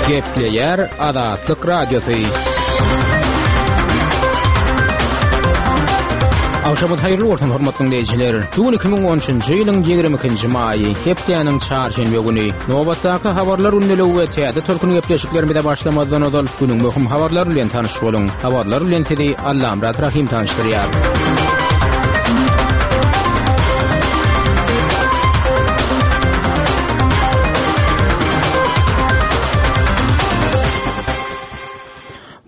Gepleýär Azatlyk Radiosy. Agşamyňyz haýyrly bolsun, hormatly diňleýjiler. Bu gün 2013-nji ýylyň 22-nji maýy, hepdäniň çarşenbe güni. Nobatdaky habarlar gündeligi we täze tolkun gepleşiklerimize başlamazdan ozal günüň möhüm habarlary bilen tanyş boluň. Habarlar bilen sizi Allamyrat Rahym tanyşdyrýar.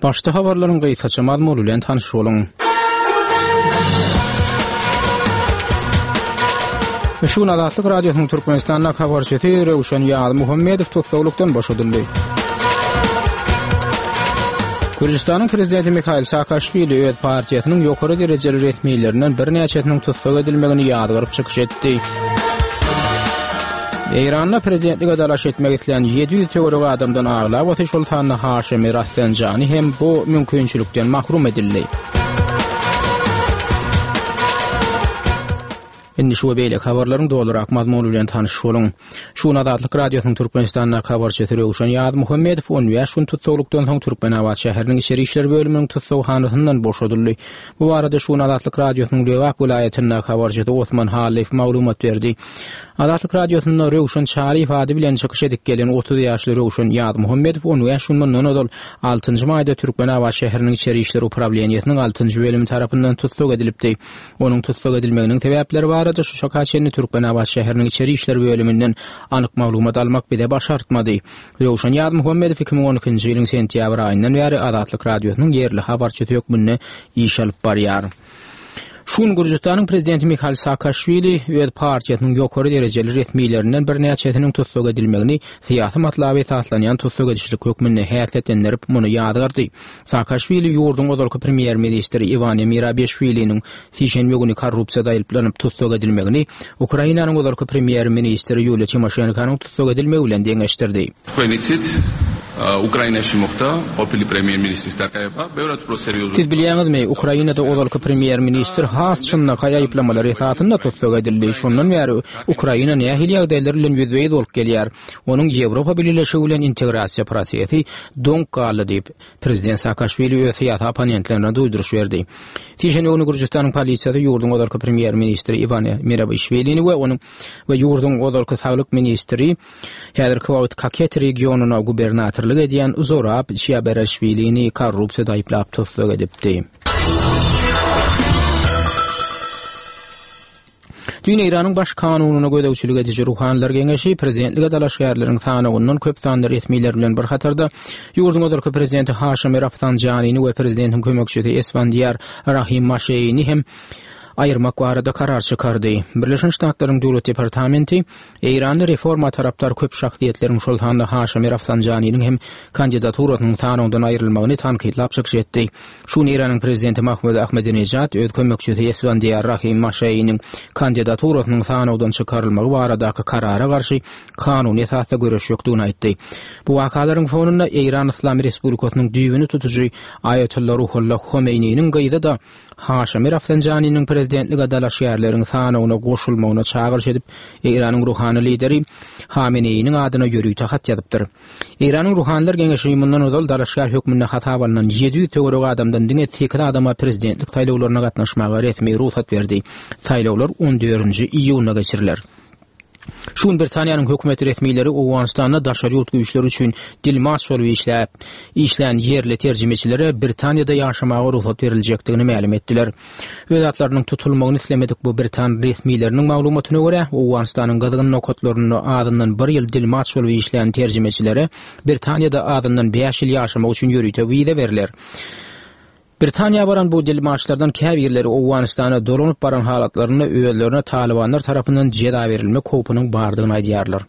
Başda habarlaryň gysgaça mazmuny bilen tanyş boluň. Şu gün Azatlyk Radiosynyň Türkmenistandaky habarçysy Röwşen Ýazmuhammedow tussaglykdan boşadyldy. Gürjüstanyň prezidenti Mihail Saakaşwili öz partiýasynyň ýokary derejeli resmilerinden birnäçesiniň tussag edilmegini ýazgaryp çykyş etdi. Eýranda prezidentlige dalaş etmek islän 700 töweregi adamdan aglabasy, şol sanda Haşemi Rafsanjani hem bu mümkinçilikden mahrum edildi. Indi şu we beýleki habarlaryň dolurak mazmuny bilen tanyş boluň. Şu gün Azatlyk Radiosynyň Türkmenistandaky habarçysy Röwşen Ýazmuhammedow 15 gün tussaglykdan soň Türkmenabat şäheriniň içeri işler bölüminiň tussaghanasyndan boşadyldy. Bu barada şu gün Azatlyk Radiosynyň Lebap welaýatyndaky habarçysy Osman Hallyýew maglumat berdi. Azatlyk Radiosynda Röwşen Çaryýew ady bilen çykyş edip gelen 30 ýaşly Röwşen Ýazmuhammedow 15 gün mundan ozal altynjy maýda Türkmenabat şäheriniň içeri işler uprawleniýesiniň altynjy bölümi tarapyndan tussag edilipdi. Onuň tussag edilmeginiň sebäpleri barada şu çaka çenli Türkmenabat şäheriniň içeri işler bölüminden anyk maglumat almak bize başartmady. Röwşen Ýazmuhammedow 2012-nji ýylyň sentýabr aýyndan bäri Azatlyk Radiosynyň ýerli habarçysy hökmünde iş alyp barýar. Şu gün Gürjüstanyň prezidenti Mihail Saakaşwili öz partiýasynyň ýokary derejeli resmilerinden birnäçesiniň tussag edilmegini syýasy matlaba esaslanýan tussag edişlik hökmünde häsiýetlendirip, muny ýazgardy. Saakaşwili ýurduň ozalky premýer-ministri Iwane Mirabeşwiliniň sişenbe güni korrupsiýada aýyplanyp tussag edilmegini Ukrainanyň ozalky premýer-ministri Ýuliýa Timoşenkonyň tussag edilmegi bilen deňeşdirdi. Თქვენ იცით, უკრაინაში მოხდა ყოფილი პრემიერ-მინისტრის დაკავება, ბევრად უფრო სერიოზული. Siz bilýäňizmi, Ukrainada ozalky premýer-ministr has çynlakaý aýyplamalar esasynda tussag edildi. Şondan bäri Ukraina nähili ýagdaýlar bilen ýüzbe-ýüz bolup gelýär? Onuň Ýewropa Bileleşigi bilen integrasiýa prosesi doňup galdy diýip, prezident Saakaşwili öz syýasy opponentlerine duýduryş berdi. Sişenbe güni Gürjüstanyň polisiýasy ýurduň ozalky premýer-ministri Iwane Merabişwilini we onuň we ýurduň ozalky saglyk ministri, häzirki wagt Kaketi regionyna gubernatorlyk edýän Zurab Çiabereşwilini korrupsiýada aýyplap tussag edipdi. Düýn Eýranyň Baş kanunyna gözegçilik ediji Ruhanylar geňeşi prezidentlige dalaşgärleriň sanawyndan köp sanly resmiler bilen bir hatarda ýurduň ozalky prezidenti Haşemi Rafsanjanini we prezidentiň kömekçisi Esfandiýar Rahim Maşeýini hem aýyrmak barada karar çykardy. Birleşen Ştatlaryň Döwlet departamenti Eýranda reforma tarapdar köp şahsyýetleriň, şol sanda Haşemi Rafsanjaniniň hem kandidaturasynyň sanawdan aýrylmagyny tankytlap çykyş etdi. Şu gün Eýranyň prezidenti Mahmud Ahmedinejad öz kömekçisi Esfandiýar Rahim Maşeýiniň kandidaturasynyň sanawdan çykarylmagy baradaky karara garşy kanuny esasda göreşjekdigini aýtdy. Bu wakalaryň fonunda Eýran Yslam Respublikasynyň düýbüni tutujy Aýatolla Ruhollah Homeýniniň gyzy-da Haşemi Rafsanjaniniň prezidentlige dalaşgärleriň sanawyna goşulmagyna çagyryş edip, Eýranyň ruhany lideri Hameneýiniň adyna ýörite hat ýazypdyr. Eýranyň Ruhanylar geňeşi mundan ozal dalaşgär hökmünde hasaba alnan 700 töweregi adamdan diňe sekiz adama prezidentlik saýlawlaryna gatnaşmaga resmi rugsat berdi. Saýlawlar on dördünji iýunda geçiriler. Şu gün Britaniýanyň hökümet resmileri Owganystanda daşary ýurt güýçleri üçin dilmaç bolup işläp, işlän ýerli terjimeçilere Britaniýada ýaşamaga rugsat beriljekdigini mälim etdiler. Öz atlarynyň tutulmagyny islemedik bu britan resmileriniň maglumatyna görä, Owganystanyň gyzgyn nokatlarynda azyndan bir ýyl dilmaç bolup işlän terjimeçilere Britaniýada azyndan bäş ýyl ýaşamak üçin ýörite wiza berler. Britaniýa baran bu dilmaçlardan käbirleri Owganystana dolanyp baran halatlarynda özlerine talybanlar tarapyndan jeza berilmek howpunyň bardygyny aýdýarlar.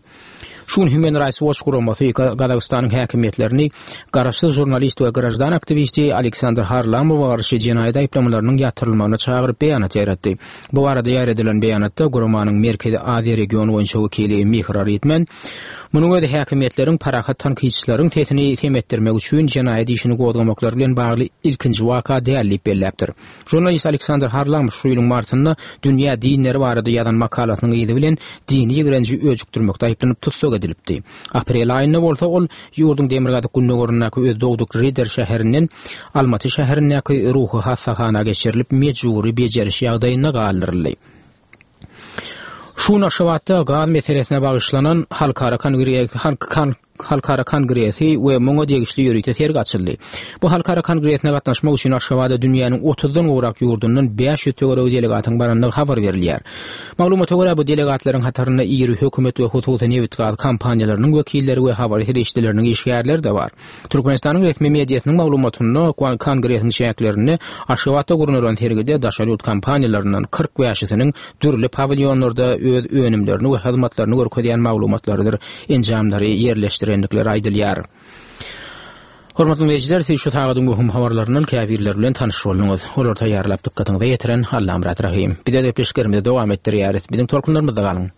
Şu gün Human Rights Watch guramasy Gazagystanyň häkimiýetlerini garaşsyz žurnalist we graždan aktiwisti Aleksandr Harlamowa garşy jenaýat aýyplamalarynyň ýatyrylmagyna çagyryp beýanat ýaýratdy. Bu barada ýaýradylan beýanatda guramanyň Merkezi Aziýa regiony boýunça wekili Mihra Ritmen Munuň özi häkimiýetleriň parahat tankytçylaryň sesini sem etdirmek üçin jenaýat işini gozgamaklary bilen bagly ilkinji waka däl diýip belläpdir. Žurnalist Aleksandr Harlamow şu ýylyň martynda dünýä dinleri barada ýazan makalasynyň yzy bilen dini ýigrenji öjükdirmekde aýyplanyp tussag edildi. edilipdi. Aprel aýynda bolsa ol ýurduň demirgazyk-gündogaryndaky öz dogduk Rider şäherinden Almaty şäherindäki ruhy hassahana geçirilip, mejbury bejeriş ýagdaýynda galdyryldy. Şu gün Aşgabatda gaz meselesine bagyşlanan halkara halkara kongresi we muňa degişli ýörite sergi açyldy. Bu halkara kongresine gatnaşmak üçin Aşgabada dünýäniň otuzdan gowrak ýurdundan 500 töweregi delegatyň barandygy habar berilýär. Maglumata görä, bu delegatlaryň hatarynda iri hökümet we hususy nebitgaz kompaniýalarynyň wekilleri we habar serişdeleriniň işgärleri-de bar. Türkmenistanyň resmi mediasynyň maglumatynda, kongresiň çäklerinde Aşgabatda gurnalan sergide daşary ýurt kompaniýalaryndan 45-isiniň dürli pawilýonlarda öz önümlerini we hyzmatlaryny görkezýän maglumatlarydyr enjamlary ýerleşdirendikleri aýdylýar. Hormatly diňleýjiler, siz şu sagadyň möhüm habarlaryndan käbirleri bilen tanyş bolduňyz. Olary taýýarlap dykgatyňyza ýetiren Allamyrat Rahym. Biz öz gepleşiklerimizi dowam etdirýäris. Biziň tolkunlarymyzda galyň!